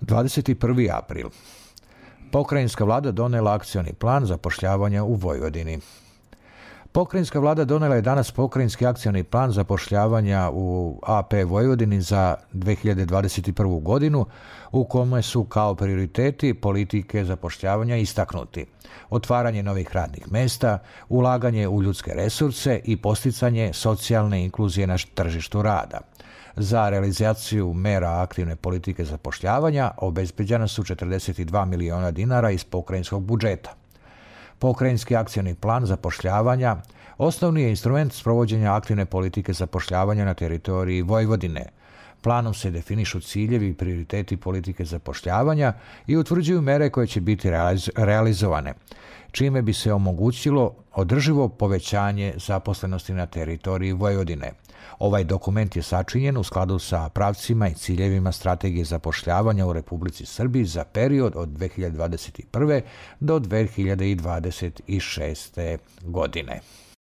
21. april. Pokrajinska vlada donela akcioni plan zapošljavanja u Vojvodini. Pokrajinska vlada donela je danas pokrajinski akcioni plan zapošljavanja u AP Vojvodini za 2021. godinu, u kome su kao prioriteti politike zapošljavanja istaknuti: otvaranje novih radnih mesta, ulaganje u ljudske resurse i posticanje socijalne inkluzije na tržištu rada. Za realizaciju mera aktivne politike zapošljavanja obezbeđena su 42 miliona dinara iz pokrajinskog budžeta. Pokrajinski akcioni plan zapošljavanja osnovni je instrument sprovođenja aktivne politike zapošljavanja na teritoriji Vojvodine. Planom se definišu ciljevi i prioriteti politike zapošljavanja i utvrđuju mere koje će biti realizovane, čime bi se omogućilo održivo povećanje zaposlenosti na teritoriji Vojvodine. Ovaj dokument je sačinjen u skladu sa pravcima i ciljevima strategije zapošljavanja u Republici Srbiji za period od 2021. do 2026. godine.